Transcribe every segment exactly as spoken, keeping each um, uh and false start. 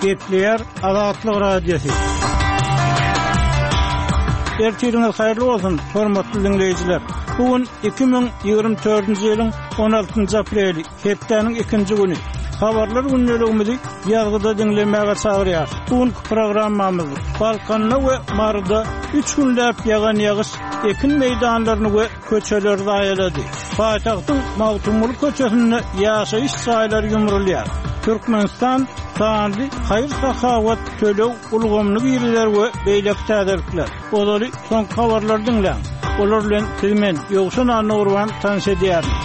Gepleýär Azatlyk Radiosy. Ertiriňiz haýyrly bolsun, hormatly diňleýjiler. Bu gün iki müň ýigrimi dördünji ýylyň on altynjy apreli, hepdäniň ikinji güni. Habarlar gündeligimizi ýazgyda diňlemäge çagyrýar. Bu günki programmamyz Balkanda we Maryda üç günläp ýagan ýagyş ekin meýdanlaryny we köçeleri zaýalady. Paýtagtyň Magtymguly köçesinde ýaşaýyş jaýlary ýumrulýar. Türkmenistan sanly haýyr-sahawat töleg ulgamyny girizer we beýleki täzelikler. Ozaly soňky habarlary diňläň. Olar bilen siz men Ýowşan Annagurban tanyş edýärin.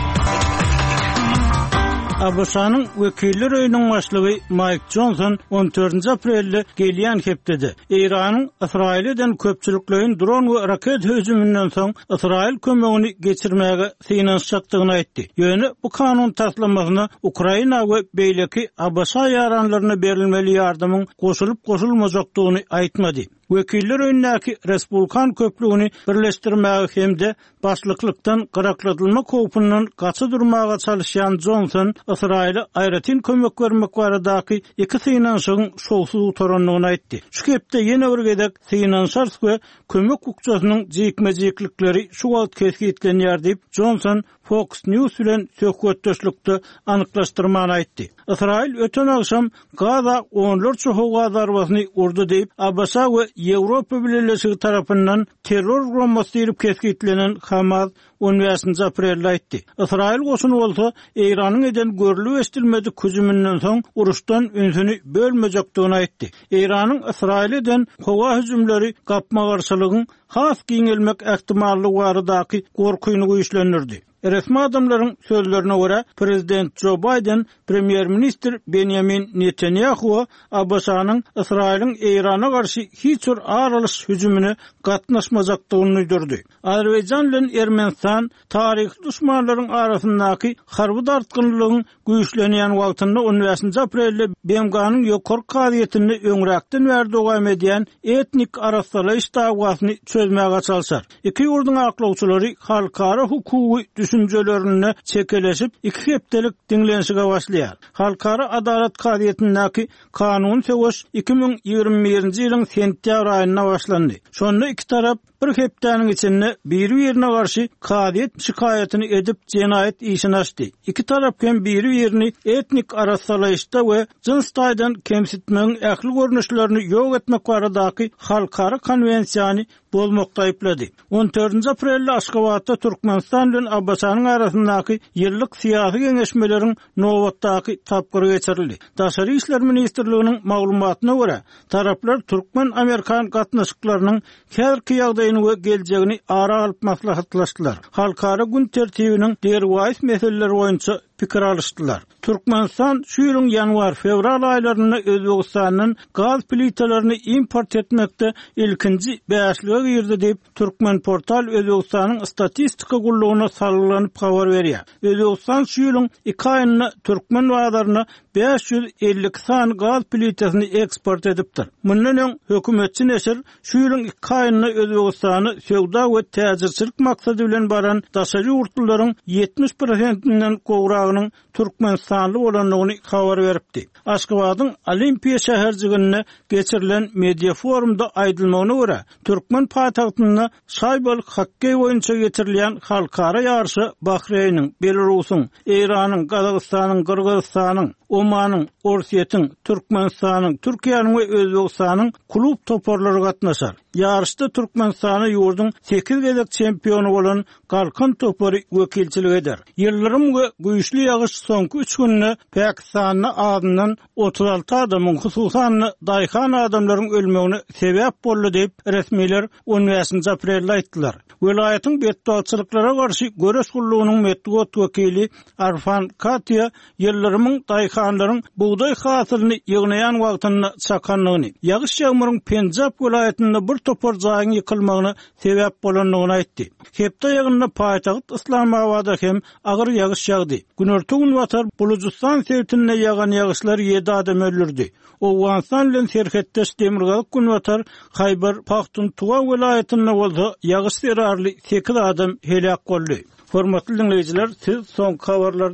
A B Ş-nyň Wekiller öýüniň başlygy Mike Johnson on dördünji aprelde gelýän hepdede Eýranyň Ysraýyl eden köpçülikleýin dron we raket hüjüminden soň Ysraýyl kömegini geçirmäge synanyşjakdygyny aýtdy. Ýöne bu kanun taslamasyna Ukraina we beýleki A B Ş ýaranlaryna berilmeli ýardamyň goşulyp goşulmajakdygyny aýtmady. Wekiller öýündäki Respublikan köplügini birleşdirmäge hem-de başlyklykdan gyrakladylma howpundan gaça durmaga çalışýan Johnson Ysraýyla aýratyn kömek bermek baradaky iki synanyşygyň şowsuz gutarandygyny aýtdy. Şu hepde ýene bir gezek synanyşarys we kömek bukjasynyň jikme-jiklikleri şu wagt kesgitlenýär diýip Johnson Fox News bilen söhbetdeşlikde anyklaşdyrmany aýtdy. Ysraýyl öten agşam Gaza onlarça howa zarbasyny urdy diýip A B Ş we Ýewropa Bileleşigi tarapyndan terror guramasy diýlip kesgitlenen Hamas on bäşinji aprelde aýtdy. Ysraýyl goşuny bolsa Eýranyň eden görülip eşidilmedik hüjüminden soň uruşdan ünsüni bölmejekdigini aýtdy. Eýranyň Ysraýyl eden howa hüjümleri gapma-garşylygyň has giňelmek ähtimallygy baradaky gorkyny güýçlendirdi. Resmi adamlaryň sözlerine görä Prezident Joe Biden Premýer-ministr Benjamin Netanyahu A B Ş-nyň Ysraýylyň Eýrana garşy hiç bir aralyş hüjümine gatnaşmajakdygyny duýdurdy. Azerbaýjan bilen Ermenistan taryhy duşmanlaryň arasyndaky harby dartgynlygyň güýçlenýän wagtynda on bäşinji aprelde B M G-nyň ýokary kazyýetinde öňräkden bäri dowam edýän etnik arassalaýyş dawasyny çözmäge çalşar. Iki ýurduň aklawçylary halkara hukugy düşünjelerinde çekeleşip iki hepdelik diňlenişige başlaýar. Halkara Adalat Kazyýetindäki kanun söweş iki müň ýigrimi birinji ýylyň sentýabr aýynda başlandy. Şonda iki tarap bir hepdäniň içinde biri-birine garşy kazyýet şikaýatyny edip jenaýat işini açdy. Iki tarap hem biri-birini etnik arassalaýyşda we jyns taýdan kemsitmegiň ähli görnüşlerini ýok etmek baradaky halkara konwensiýany bozmakda aýyplady. On dördünji aprelde Aşgabatda Türkmenistan bilen A B Ş-nyň arasyndaky ýyllyk syýasy geňeşmeleriň nobatdaky tapgyry geçirildi. Daşary işler ministrliginiň maglumatyna görä, taraplar türkmen-amerikan gatnaşyklarynyň häzirki ýagdaýyny we geljegini ara alyp maslahatlaşdylar. Halkara gün tertibiniň derwaýys meseleleri boýunça pikir alyşdylar. Türkmenistan şu ýylyň ýanwar-fewral aýlarynda Özbegistandan gaz plitalaryny import etmekde ilkinji bäşlige girdi diýip Türkmenportal Özbegistanyň statistika gullugyna salgylanyp habar berýär. Özbegistan şu ýylyň iki aýynda türkmen bazaryna bäş ýüz elli iki sany gaz plitasyny eksport edipdir. Mundan öň hökümetçi neşir şu ýylyň iki aýynda Özbegistana söwda we täjirçilik maksady bilen baran daşary ýurtlylaryň ýetmiş prosentinden gowragynyň Türkmenistanly bolandygyny habar beripdi. Aşgabadyň Olimpiýa şäherjiginde geçirilen media forumda aýdylmagyna görä, türkmen paýtagtynda şaýbaly hokkeý boýunça geçirilýän halkara ýaryşa Bahreýniň, Belarusyň, Eýranyň, Gazagystanyň, Gyrgyzystanyň, Omanyň, Orsýetiň, Türkmenistanyň, Türkiýäniň we Özbegistanyň klub toparlary gatnaşar. Ýaryşda Türkmenistana ýurduň sekiz gezek çempiony bolan Galkan topary wekilçilik eder. Ýyldyrym we güýçli ýagyş soňky üç günde Pakistanda azyndan otuz alty adamyň, hususan daýhan adamlaryň ölmegine sebäp boldy diýip resmiler on bäşinji aprelde aýtdylar. Welaýatyň betbagtçylyklara garşy göreş gullugynyň metbugat wekili Arfan Katiýa ýyldyrymyň daýhanlaryň bugdaý hasylyny ýygnaýan wagtynda çakandygyny, ýagyş ýagmyryň Penjap welaýatynda bir topar jaýyň ýykylmagyna sebäp bolandygyny aýtdy. Hepde ýagynda paýtagt Islamabada hem agyr ýagyş ýagdy. Günorta günbatar Bulujystan sebitinde ýagan ýagyşlar ýedi adam öldürdi. Owganystan bilen serhetdeş Demirgazyk günbatar Haýbar Pahtuntuwa welaýatynda bolsa ýagyş zerarly sekiz adam heläk boldy. Hormatly dinleýjiler, siz soňky habarlary